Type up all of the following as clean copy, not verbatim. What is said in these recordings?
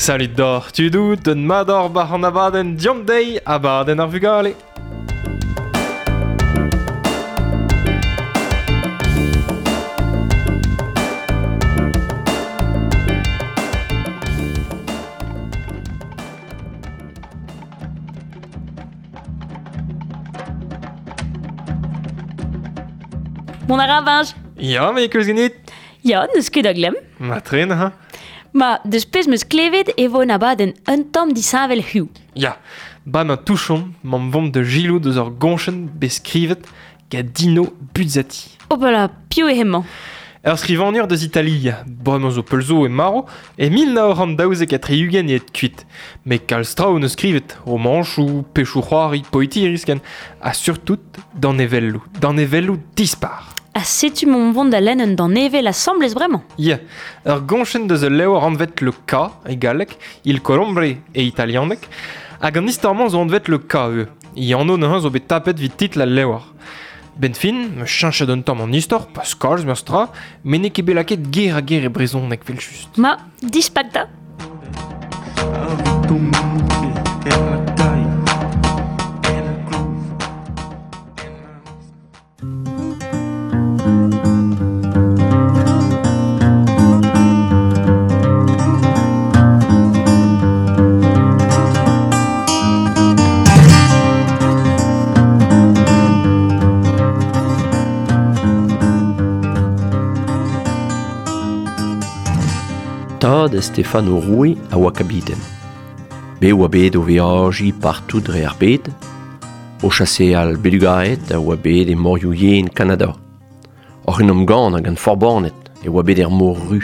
Salut doc'h tudoù, d'un mat oc'h bac'h an abadenn Diomp dezhi, abadenn ar vugale. Mont a ra, Benj Ya, me keus ganit. Ya, n'eus ket da glemm. Ma tren, ha. Ma, deus pezh 'meus klevet e vo un abadenn un tamm disheñvel hiziv. Ya, ba ma touchomp, m'am vomp da gilou deus ur goñchenn bet skrivet gant Dino Buzzati. Hopala, piv eo hemañ? Ur skrivagner deus Italia, bremañ zo peul zo e marv, e 1972 eo aet kuit. Met kalz traoù 'neus skrivet, romanchoù, pechoù-c'hoari, poetiris ken, ha surtout danevelloù, danevelloù dispar. Ha setu m'omp vont da lenn un danevell asambles bremañ. Ya, ur goñchenn deus ul levr anvet Le K e galleg, Il Colombre e italianeg, hag an istor-mañ zo anvet Le K ivez. E anv neuze zo bet tapet evit titl al levr. Benn fin, 'm eus cheñchet un tamm an istor, pas kalz memes tra, met n'eo ket bet lakaet ger-ha-ger e brezhoneg evel-just. Ma, dispak da. Tad Stefano Roue a oa kabiten. Bet oa bet o veajiñ partout dre ar bed, O chaseal belugaed a oa bet e morioù yen Kanada. Oc'h en em gannañ gant forbaned e oa bet er mor Ru.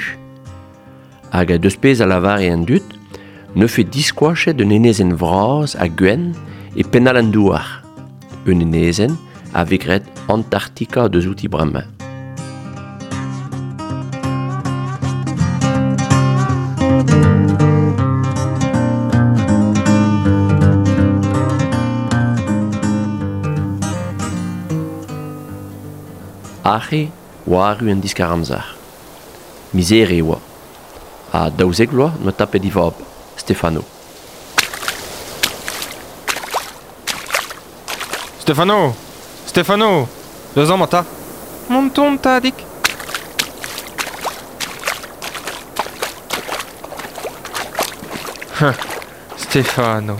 Hag deus pezh a lavare an dud, neufe diskoachet un enezenn vras ha gwenn e penn all an douar. Un enezenn a vez graet Antarktika deus outi bremañ. Aze oa arru an diskar-amzer. Miz Here e oa. Ha 12 vloaz 'noa tapet e vab, Stefano. Stefano Stefano Deus amañ 'ta Mont ton, tadig Stefano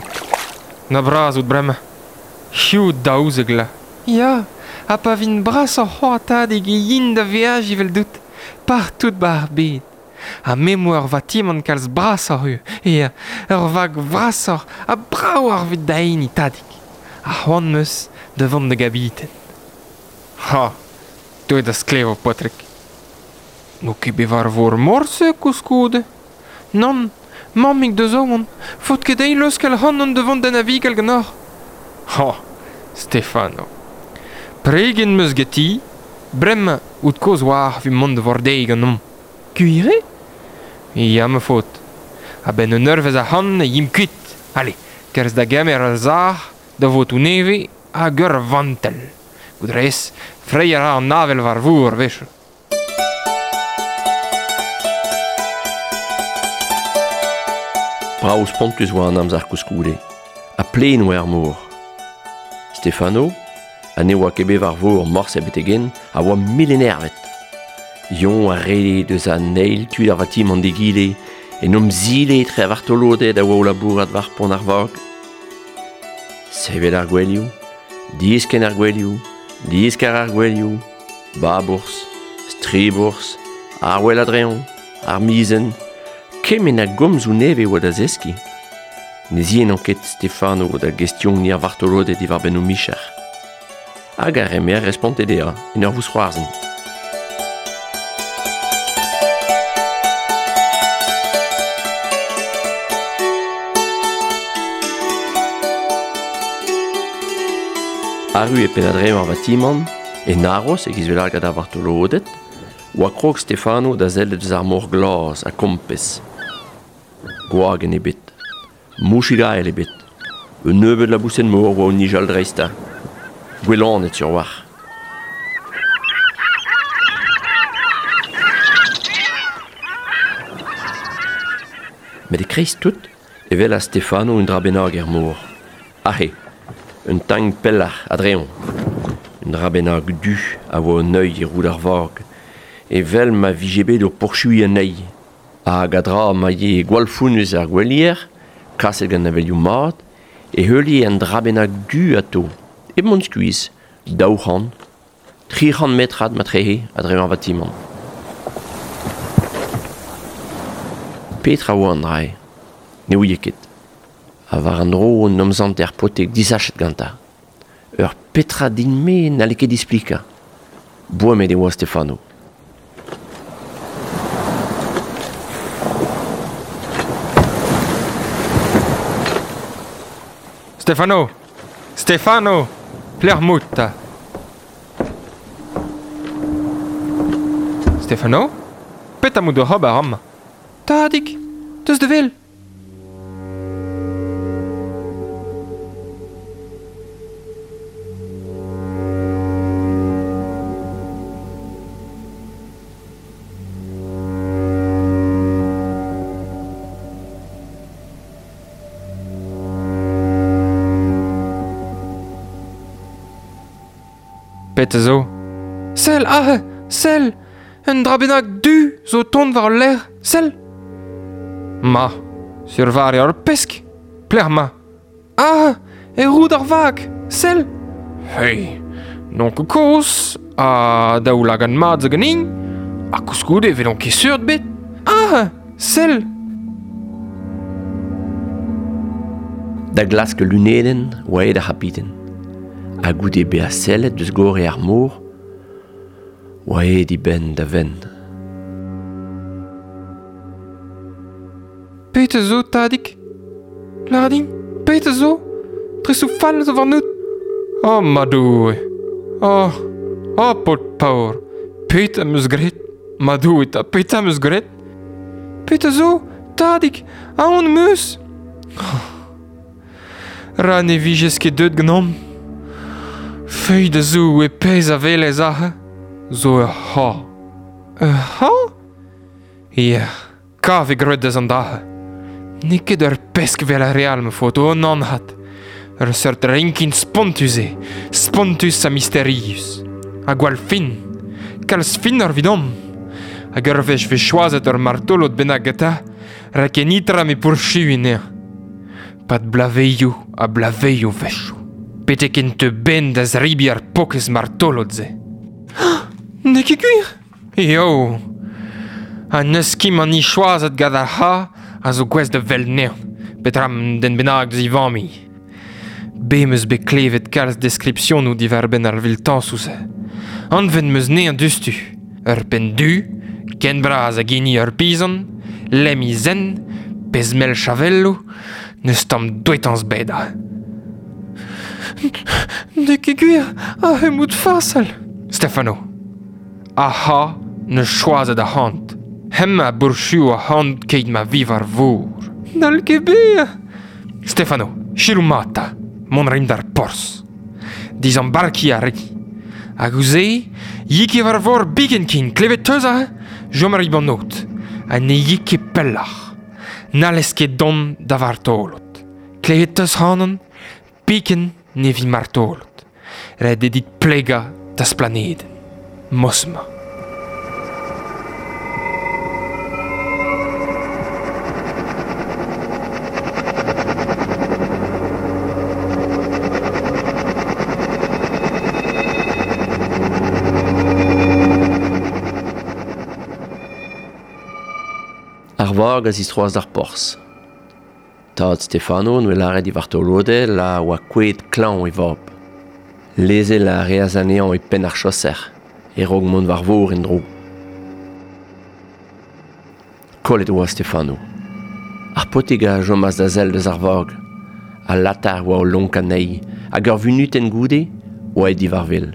Na bras out bremañ Hiziv 12 vloaz Ya, ha pa vin brasoc'h c'hoazh tadig e yin da veajiñ eveldout partout 'ba ar bed. Ha me 'm boa ur vatimant kalz brasoc'h ivez, ya, ur vag vrasoc'h ha bravoc'h evit da hini, tadig. Ha c'hoant 'm eus da vont da gabiten. Ha, deuet da sklevo, paotrig. N'o ket bet war vor morse koulskoude. Nann, mammig da zo on. Faot ket dezhi leuskel ac'hanon da vont da navigal ganeoc'h. Ha, Stefano. Preget 'm eus ganti. Bremañ out kozh 'oar evit mont da vordeiñ ganeomp. Gwir eo? Ya, ma faotr. A-benn un eurvezh ac'hann e yimp kuit. Ale, kerzh da gemer ur sac'h, da votoù nevez hag ur vantell. Goût 'rez, freiñ a ra an avel war vor a-wechoù. Brav spontus oa an amzer koulskoude, ha plaen oa ar mor. Stefano, ha ne oa ket bet war vor morse betek-henn, a oa mil-enervet. Yoñ a rede deus an eil tu d'ar vatimant d'egile, en em zile etre ar vartoloded a oa o labourat war pont ar vag. Sevel ar gouelioù, diskenn ar gouelioù, diskar ar gouelioù, babourzh, stribourzh, ar wel a-dreñv, ar mizenn, kement a gomzoù nevez oa da zeskiñ. Ne ziennañ ket Stefano da gestioniñ ar vartoloded diwar-benn o micher. Hag ar re-me a responte dezhañ en ur vousc'hoarzhin. Arru e penn-adreñv ar vatimant, en aros e-giz lagad ar vartoloded, oa krog Stefano da sellet eus ar mor glas ha kompez. Gwagenn ebet, mouchig-ael ebet, un nebeud laboused-mor oa o nijal dreistañ. Gwellanet sur a-walc'h. Met e-kreiz tout e welas Stefano un dra bennak er mor. Aze, un tamm pelloc'h, a-dreñv. Un dra bennak du a oa o neuiñ e roud ar vag, evel ma vije bet o pourchuiñ anezhi. Hag a-dra ma yee gwall fonnus ar gouelier, kaset gant avelioù mat, e heulie un dra bennak du atav, hep mont skuizh, 200, 300 metrad matrehe a-dreñv ar vatimant. Petra oa an dra-se? Ne ouie ket. Ha war an dro en em sante ar paotrig disachet gantañ. Ur petra din-me n'halle ket displikañ. Boemet e oa Stefano. Stefano! Stefano! Pelec'h 'maout 'ta? Stefano? Petra 'maout oc'h ober amañ? Tadig, deus da wel! Petra zo? Sell aze! Sell! Un dra bennak du zo o tont war al lec'h, sell! Ma, sur war eo ur pesk! Pelec'h 'mañ? Ah! E roud ar vag! Sell! Hey! N'on ket kozh, ha daoulagad mat zo ganin, ha koulskoude e welon ket seurt bet. Ah! Sell! Da glask ul lunedenn oa aet ar c'habiten. Ha goude bezañ sellet deus gorre ar mor oa aet e benn da benn. Petra zo, tadig? Lâr din, petra zo? Tresoù fall zo warnout? Oh, ma Doue! Oh, oh, paotr paour! Petra 'm eus graet? Ma Doue 'ta, petra 'm eus graet? Petra zo, tadig? Aon 'm eus! Ra ne vijes ket deuet ganeomp. Feuilh da Zoue pezh a welez aze zo ur c'horr. Ur c'horr? Ya, kav eo graet deus an dra-se. N'eo ket ur pesk 'vel ar re all ma faot, o nann 'vat. Ur seurt rinkin spontus eo, spontus ha misterius. Ha gwall fin. Kalz finoc'h evidomp. Hag ur wech 'vez choazet ur martolod bennak gantañ, rak ken nitra me pourchuiñ anezhañ. Pad bloavezhioù ha bloavezhioù 'wechoù. Betek en teu 'benn da zebriñ ar paourkaezh martolod-se. N'eo ket gwir? Eo. Ha n'eus ket mani choazet gant ar c'harr a zo gouest da welet anezhañ, petra un den bennak deus e familh. Bet 'm eus bet klevet kalz deskripsionoù diwar-benn ar viltañsoù-se. Anvet 'm eus anezhañ diouzhtu. Ur penn du, ken bras hag hini ur pizan, lemm he zen, pezh mell chavelloù, n'eus tamm douetañs ebet aze. N'eo ket gwir, aze emaout farsal. Stefano, aha, 'neus choazet arc'hant. Hemañ a bourchuo arc'hant keit ma vi war vor. N'hall ket bezañ. Stefano, selaou mat 'ta, mont a rin d'ar porzh. Dizambarkiñ a ri. Hag ouzh se, yi ket war vor biken ken, klevet 'teus aze? Chom a ri 'ba 'n aod, ha ne yi ket pelloc'h. N'hallez ket dont da vartolod. Klevet 'teus ac'hanon? Biken ne vi martolod. Ret eo dit plegañ da'z planedenn. Mosma. Ar vag a zistroas d'ar porzh. Tad Stefano 'noa lâret e vartoloded a oa kouezhet klañv e vab. Lezel a reas anezhañ e penn ar chaoser e-raok mont war vor en-dro. Kollet e oa Stefano. Ar paotrig a chomas da sell deus ar vag. Al latar oa o lonkañ anezhi hag ur vunutenn goude oa aet diwar wel.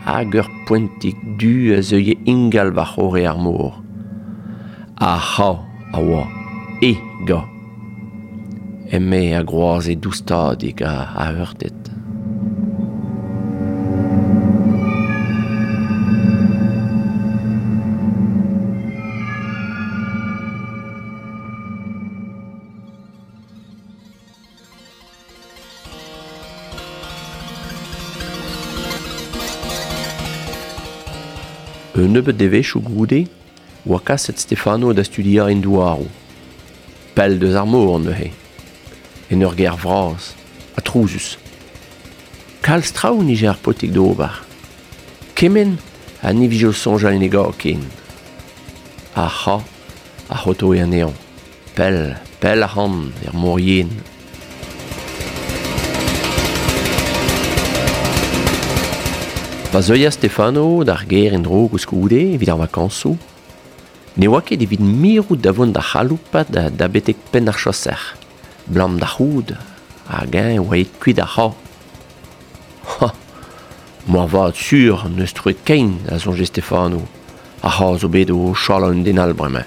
Hag ur poentig du a zeue ingal war-c'horre ar mor. Ar c'hav a oa e gav. Eme a groaze doustadik ha aheurtet. Un nebeud devezhioù goude oa kaset Stefano da studiañ en douaroù. Pell deus ar mor neuze. En ur gêr vras, ha trouzus. Kalz traoù nije ar paotrig d'ober. Kement ha ne vije o soñjal en e gav ken. Ar c'ha a c'hotoe anezhañ. Pell, pell ac'hann, er mor yen. Pa zeuas Stefano d'ar gêr en-dro koulskoude evit ar vakañsoù, ne oa ket evit mirout da vont da c'haloupat da betek penn ar chaoser, 'blam d'ar c'hood, hag-eñ e oa aet kuit ar c'ha. Ha, moarvat sur n'eus troet kein, a soñje Stefano, ar c'ha zo bet o chalañ un den all bremañ.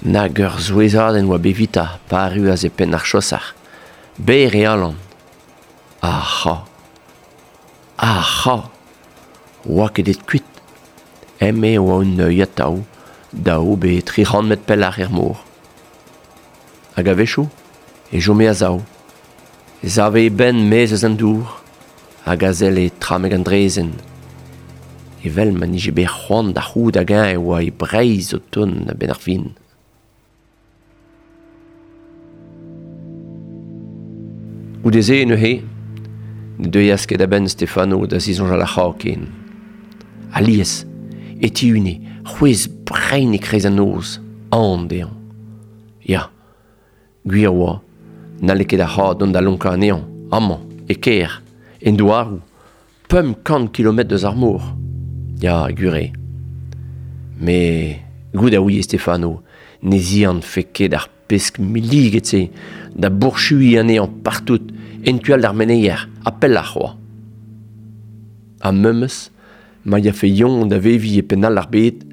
Nag ur souezhadenn oa bet evitañ pa arruas e penn ar chaoser. Berr e alan. Ar c'ha. Ar c'ha. Oa ket aet kuit. Eme e oa un neuiñ atav, daou pe 300 metr pelloc'h er mor. Hag a-wechoù e chome a-sav. E save e benn maez eus an dour hag a selle tramek an draezhenn. Evel ma 'nije bet c'hoant da c'hoût hag-eñ e oa e Breizh o tont a-benn ar fin. Goude-se neuze ne deuas ket a-benn Stefano da zisoñjal ar c'hra ken. Alies e tihune c'hwezh brein e-kreiz an noz, aon dezhañ. Ya, gwir oa, n'halle ket ar c'hra dont da lonkañ anezhañ, amañ, e kêr, en douaroù, 500 kilometr eus ar mor. Ya, gwir eo. Met goût a ouie Stefano ne zianfe ket ar pesk milliget-se da bourchuiñ anezhañ partout en tu all d'ar meneier ha pelloc'h c'hoazh. Ha memes ma yafe Yon da veviñ e penn all ar bed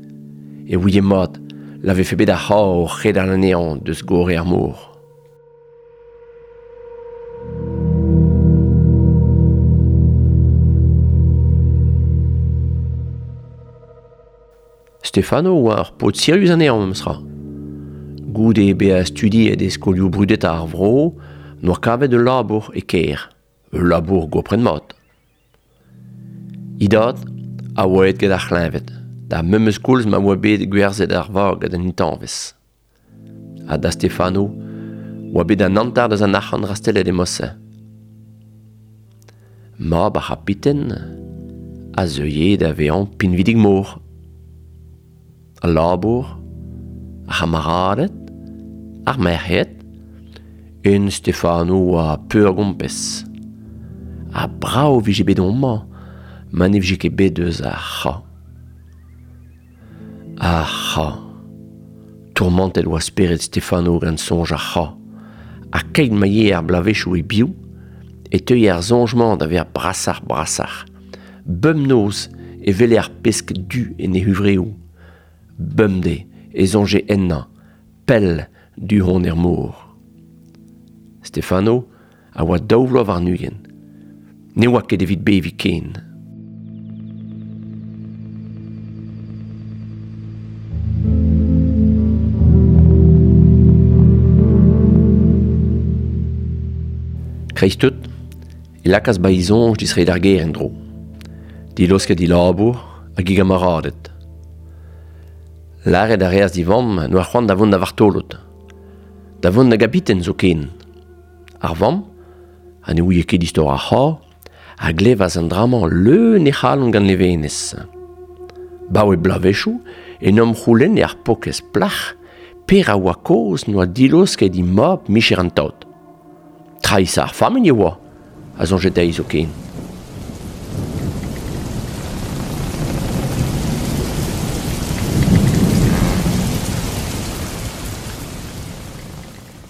e ouie mat la vefe bet ar c'hra o c'hedal anezhañ deus gorre ar mor. Stefano oa ur paotr sirius anezhañ memes tra. Goude bezañ studiet e skolioù brudetañ ar vro n'oa kavet ul labour e kêr, ul labour gopret mat. E dad a oa aet gant ar c'hleñved, d'ar memes koulz ma oa bet gwerzhet ar vag gant an intañvez. Ha da Stefano oa bet an hanter deus an arc'hant rastellet e mod-se. Mab ar c'habiten a zeue da vezañ pinvidik-mor. Al labour, ar c'hamaraded, ar merc'hed, un Stefano oa peurgompez. Ha brav 'vije bet homañ ma ne vije ket bet eus ar c'ha. Ar c'ha. Tourmantet oa spered Stefano gant soñj ar c'ha. Ha keit ma yee ar bloavezhioù e-biou e teue ar soñj-mañ da vezañ brasoc'h-brasoc'h. Bemnoz e wele ar pesk du en e huñvreoù. Bemdez e soñje ennañ, pell du-hont er mor. Stefano a oa daou vloaz warn-ugent. Ne oa ket evit beviñ ken. Kreiz-tout e lakaas ba e soñj distreiñ d'ar gêr en-dro. Dilosket he labour hag e gamaraded. Lâret a reas d'e vamm n'oa c'hoant da vont da vartolod. Da vont da gabiten zoken. Ar vamm, ha ne ouie ket istor ar c'horr, a glevas an dra-mañ leun he c'halon gant levenez. Baoe bloavezhioù en em c'houlenne ar paourkaezh plac'h pera oa kaoz n'oa dilosket he mab micher an tad. Traisa ar familh e oa, a soñje dezhi zoken.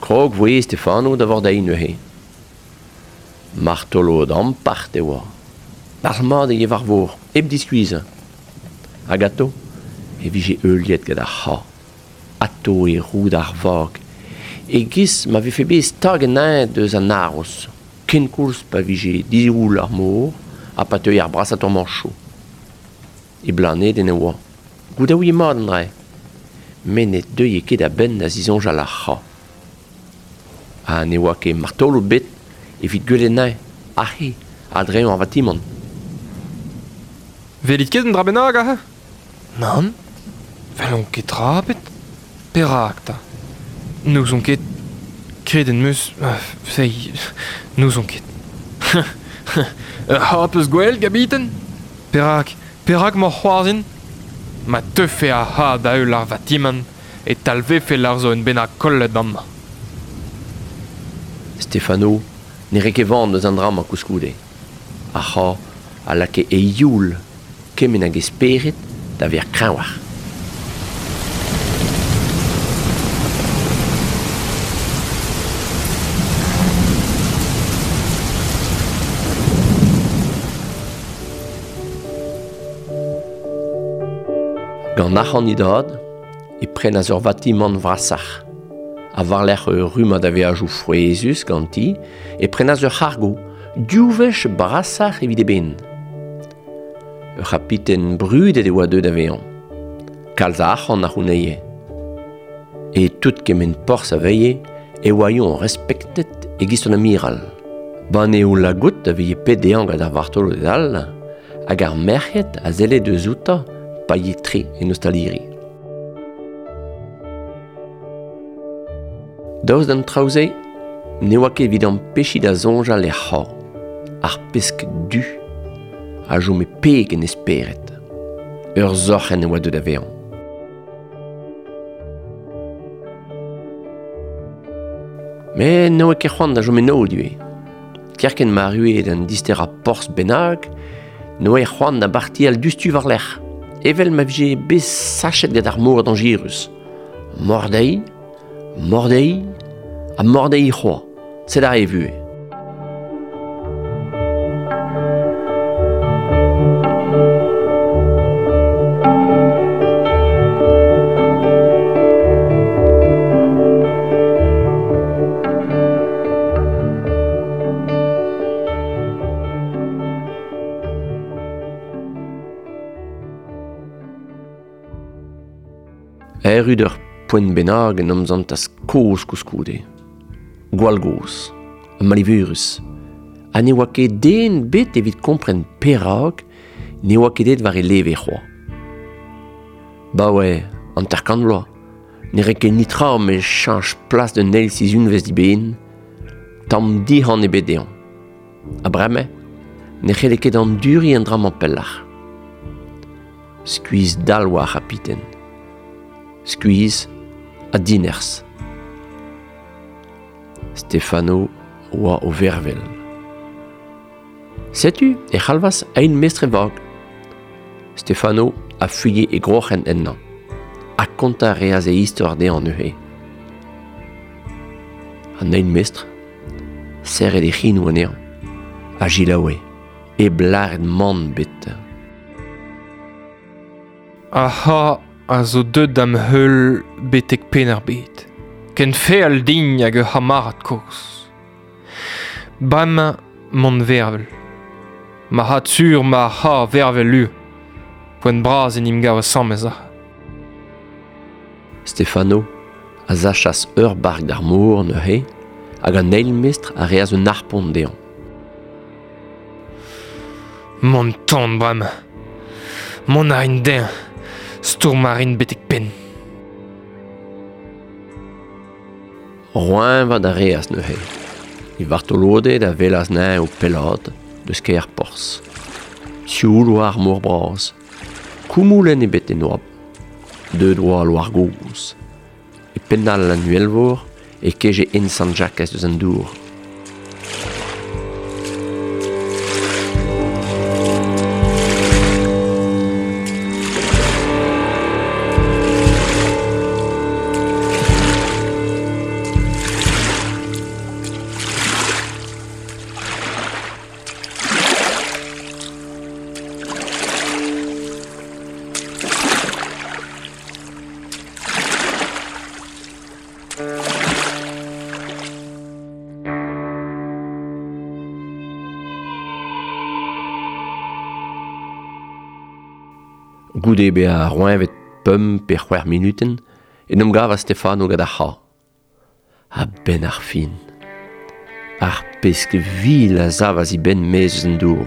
Krog voe Stefano da vordeiñ neuze. Martolod ampart e oa. Dalc'hmat e war vor, hep diskuizhañ. Hag atao e vije heuliet gant ar c'ha. Atao e roud ar vag, e-giz ma vefe bet stag anezhañ deus an aroz, kenkoulz pa vije diroll ar mor ha pa teue ar brasañ tourmañchoù. E blanedenn e oa. Goudaouiñ mat an dra. Met ne deue ket a-benn da zisoñjal ar c'ha. Ha ne oa ket martolod bet evit gwelet anezhañ aze a-dreñv ar vatimant. Welit ket un dra bennak aze? Nann, 'welon ket tra ebet. Perak 'ta? N'ouzon ket. Kredet 'm eus... Feiz, n'ouzon ket. Ur c'ha 'peus gwelet, kabiten? Perak, perak 'mañ c'hoarzhin? Ma teufe ar c'ha da heul ar vatimant e talvefe lâr zo un bennak kollet amañ. Stefano ne rae ket van eus an dra-mañ koulskoude. Ar c'ha a lakae e youl kement hag e spered da vezañ kreñvoc'h. Gant arc'hant e dad e prenas ur vatimant vrasoc'h. Ha war-lerc'h ur rummad a veajoù frouezhus ganti e prenas ur c'hargo, div wech brasoc'h evit eben. Ur c'hapiten brudet e oa deuet da vezañ. Kalz a arc'hant a c'hounezhe. E tout kement porzh a veilhe e oa-eñ respektet e-giz un amiral. Banneoù lagout a vije pet dezhañ gant ar vartoloded all hag ar merc'hed a selle deus outañ pa ye tre en ostaliri. Daoust d'an traoù-se, ne oa ket evit ampechiñ da soñjal er c'horn, ar pesk du a chome peg en e spered. Ur sorc'henn e oa deuet da vezañ. Met ne oa ket c'hoant da chom eno ivez. Kerkent ma arrue d'an disterañ porzh bennak, ne oa c'hoant da bartial diouzhtu war-lerc'h, evel ma vije bet sachet gant ar mor dañjerus. Mordeiñ, mordeiñ ha mordeiñ c'hoazh, sed aze e vuhez. Erru d'ur poent bennak en em santas kozh koulskoude. Gwall gozh, ha malivurus. Ha ne oa ket den bet evit kompren perak ne oa ket aet war e leve c'hoazh. Baoe 50 vloaz, ne rae ket netra met cheñch plas d'un eil sizhunvezh diben, tamm dic'han ebet dezhañ. Ha bremañ ne c'helle ket anduriñ an dra-mañ pelloc'h. Skuizh-dall oa ar c'hapiten. Skuizh ha dinerzh. Stefano oa o vervel. Setu e c'halvas eil mestr e vag. Stefano a fuilhe e groc'hen ennañ. Ha kontañ a reas e istor dezhañ neuze. An eil mestr, serret e c'hinoù anezhañ, a selaoue, hep lâret mann ebet. Ar c'ha a zo deuet da'm heul betek penn ar bed. Ken feal din hag ur c'hamarad kozh. Bremañ mont vervel. Marc'had sur ma c'ha vervel lu. Poent bras en em gav asambles aze. Stefano a sachas ur bark d'ar mor neuze hag an eil mestr a reas un harpon dezhañ. Mont tan bremañ. Mont a rin dezhañ. Stourm a rin betek penn. Roeñvat a reas neuze. E vartoloded a welas anezhañ o pellaat deus kêr porzh. Sioul oa ar mor bras. Koumoulenn ebet en oabl. Deuet oa al loar gozh. E penn all an uhelvor e keje hent Sant-Jakez deus an dour. Goude bezañ roeñvet pemp pe c'hwec'h munutenn En em gavas Stefano gant ar c'ha. A-benn ar fin. Ar pesk vil a savas e benn maez eus an dour.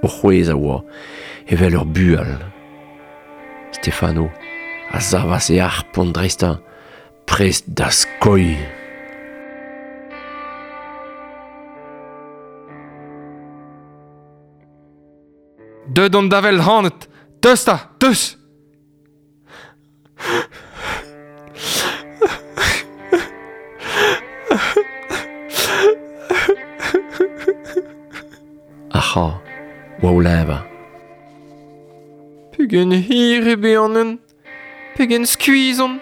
O c'hwezh a oa, evel ur bual. Stefano a savas e harpon dreistañ, prest da skoiñ. Deut on da wel hanet. Deus 'ta, deus! Ar c'ha oa o leñvañ. Pegen hir eo bet an hent, pegen skuizh on.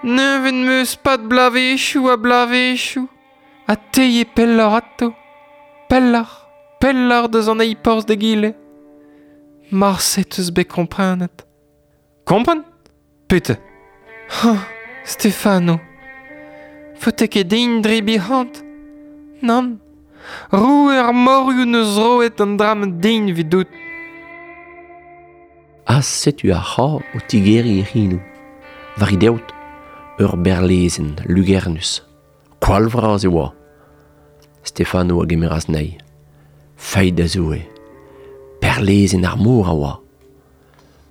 Neuñvet 'm eus 'pad bloavezhioù ha bloavezhioù, ha te eo pelloc'h atav, pelloc'h, pelloc'h deus an eil porzh d'egile. Marse 'teus bet komprenet. Kompren? Petra? Ha, Stefano, faote ket din drebiñ c'hoant. Nann, roue ar morioù 'neus roet an dra-mañ din evidout. Ha setu ar c'ha o tigeriñ e c'hinoù. War e deod, ur berlezenn lugernus. Koal vras e oa. Stefano a gemeras anezhi. Feiz da Zoue. Perlezenn ar mor a oa.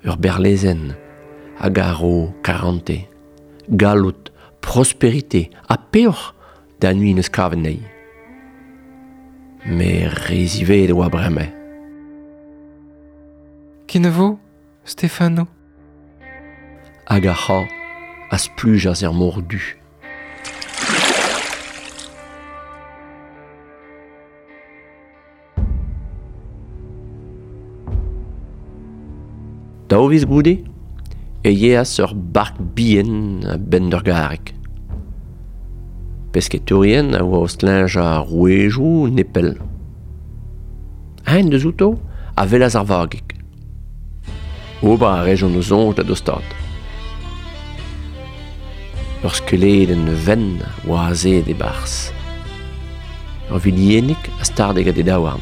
Ur berlezenn hag a ro karantez, galloud, prosperite ha peoc'h da nuiñ eus kavet anezhi. Met re ziwezhat e oa bremañ. Kenavo, Stefano. Hag ar c'ha a splujas er mor du. Daou viz goude e yeas ur bark bihan a-benn d'ur garreg. Pesketourien a oa o stleñjañ rouedoù nepell. Eñ deus outo a welas ar vagig. Ober a rejont o soñj da dostaat. Ur skeuledenn wenn oa azeet e-barzh. Ur viliennig a starde gant he daouarn.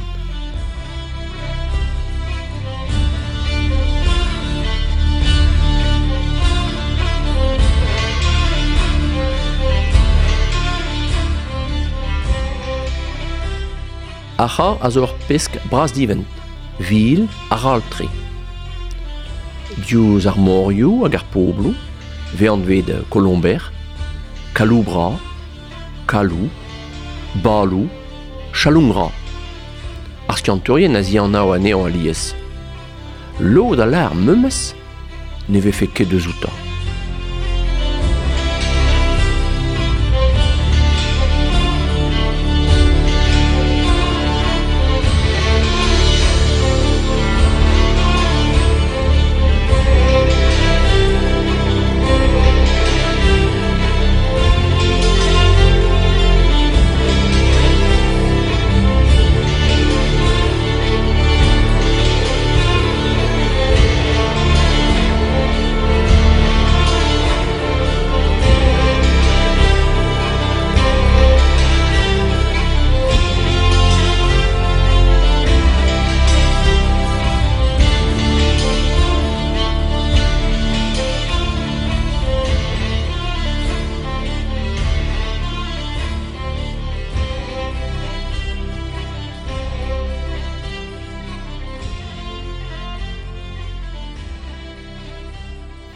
Ar c'ha a zo ur pesk bras-divent, vil ha ral-tre. Diouzh ar morioù hag ar pobloù 'vez anvet Kolomber, Kaloubra, Kalou, Baloù, Chalongra. Ar skiantourien a zianav anezhañ alies. Lod a lâr memes ne vefe ket eus outañ.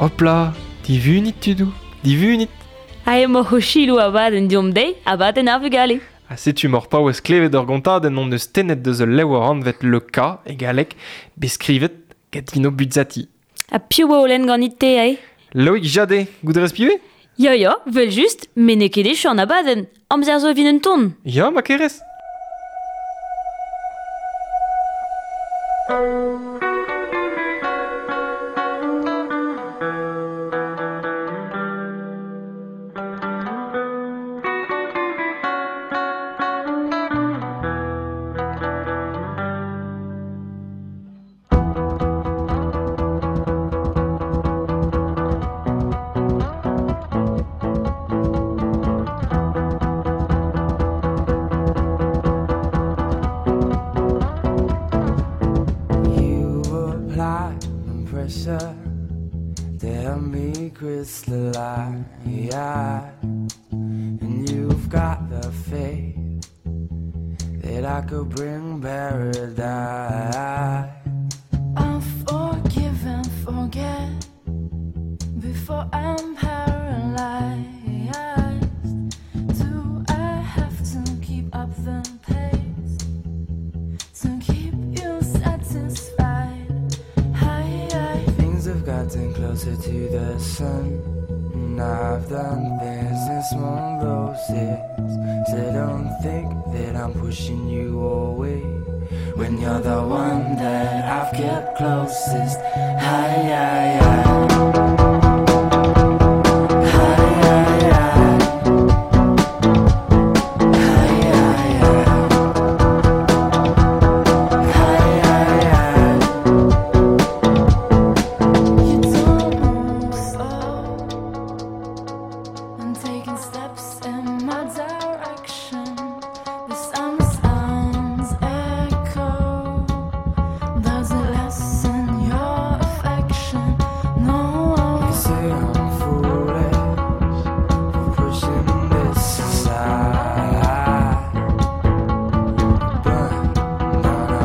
Hopla, divunit tudoù, divunit. Ha emaoc'h o selaou abadenn deomp dezhi, abadenn ar vugale. Ha setu m'hor paouez klevet ur gontadenn hon eus tennet deus ul levr anvet Le Cas e galleg, bet skrivet gant Dino Buzzati. Ha piv oa o lenn ganit-te, ae? Loïc Jadé, goût a rez piv eo? Ya, ya, 'vel-just, met n'eo ket echu an abadenn. Amzer zo evit un ton. Ya, ma kerez. that I could bring paradise. I forgive and forget before I'm paralyzed. Do I have to keep up the pace to keep you satisfied? Hi, Things have gotten closer to the sun. And I've done things in small doses. So don't think that I'm pushing you away. When you're the one that I've kept closest. Hi, hi, hi. Hi, hi, hi. Hi, hi, hi. Hi, hi, hi. You don't move slow. I'm taking steps in my direction. The sound sounds echo. Does it lessen your affection? No. You say I'm foolish for pushing this aside. But no, no,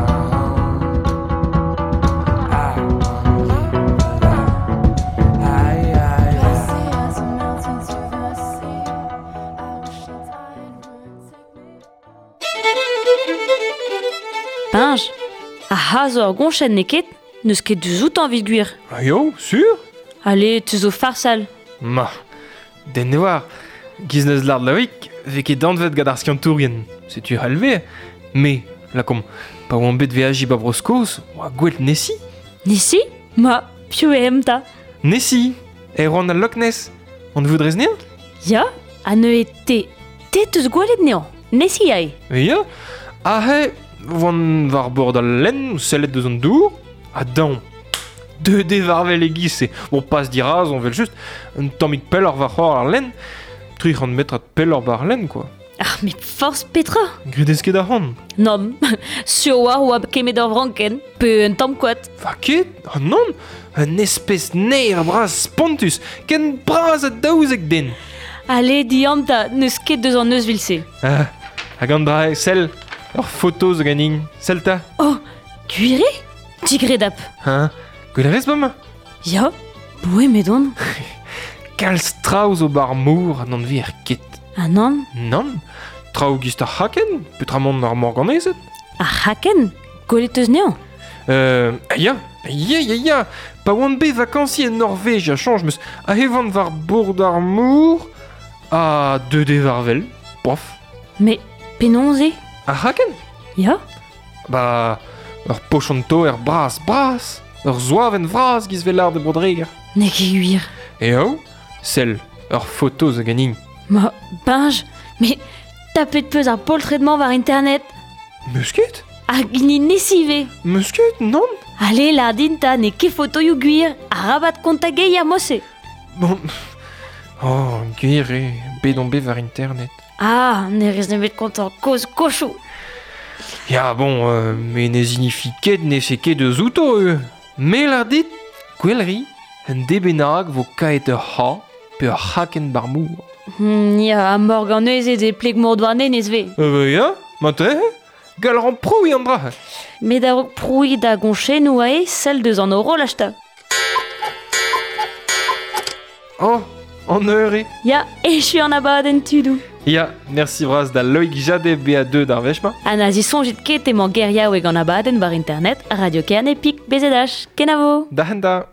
I won't keep alive. I, I, Glassy eyes are melting to the sea. I wish the tide would take me. Pinj, a ha zo ur goñchenn n'eo ket, n'eus ket deus outañ evit gwir. Ah yo, sur Allez, te zo farsal. Ma, den ne war, giz neus lard Loïc, ve ket danvet gant ar skiantourien. Setu halve, me, la kom, pa oan bet veaji ba Bro-Skos, oa gwell Nessie. Nesi Ma, piv eo em ta. Nessie, Erwan al Loch Ness, on voudrez nea Ya, ha neuze te, te teus gwelet neañ, Nessie ae. Ya, ahe, oan war bord al lenn, sellet deus an dour, ha daon. Deux dé varvel e giz-se. Bon, pas diraz, on vel just, un tammig pell ar war c'hoar ar lenn, tri c'hant metrad pell ar bar lenn, quoi. Ah, met forz petra. Gredez ket ar c'hant. Nom, sur war oa kemet ur vranken, pe un tamm koad. Va ket, ah non, un espèce neir bras spontus, ken bras a daouzek den. Allez, dianta, n'eus ket deus an eus vil-se. Ah, hag an dra sell, ur foto zo ganin, sell ta. Oh, gwir eo Digredap. Hein, gwell a rez bremañ? Ya, boe medon. Kalz traoù zo bar mor an anver ket. Ah nann, Nann, traoù gist ar c'haken, peotramant ar morganezed. ar c'haken, gwelet eus neañ. Ya, ya, ya, ya, pa oan bet vakansi en Norvège a chanj meus a hevan war bourd ar mor a deux dé varvel, pof. Mais penaos eo Ar c'haken? Ya, Ba, ur pochon-to er bras bras, ur zoaven vras giz vel ar de brodreger. n'eo ket gwir. Eo, sell, ur foto zo ganin. Ma, binj, mais tapet peus ar poltred-mañ war internet. Meus ket? Hag hini Nessie ve. Meus ket, nann? Allez, lardin ta, n'eo ket fotoioù gwir, arabat kontagei ar mose. Bon, oh, gwir eo, bet on bet war internet. Ah, ne rez nemet kontañ koz kochoù. Ya, bon, me ne zinifi ket ne se ket eus outo, eo. Me lar dit, gwell ri, un debenag vo kaet ur c'ha pe ur c'haken bar mor. Ya, a morganezed e pleg mor douarnenez ve. Ya, mat gal ran proui an dra. Met a-raok prouiñ da goñchennoù ae, sell deus an horolaj ta. Oh, an eur eo. Ya, echu an abadenn tudoù. Ya, merci bras da Loïc Jade BA2 d'ar wech-ma. Ha na zisoñjit ket emañ geriaoueg an abadenn war internet, Radio Kerne Pik BZH. Kenavo! Da hent da.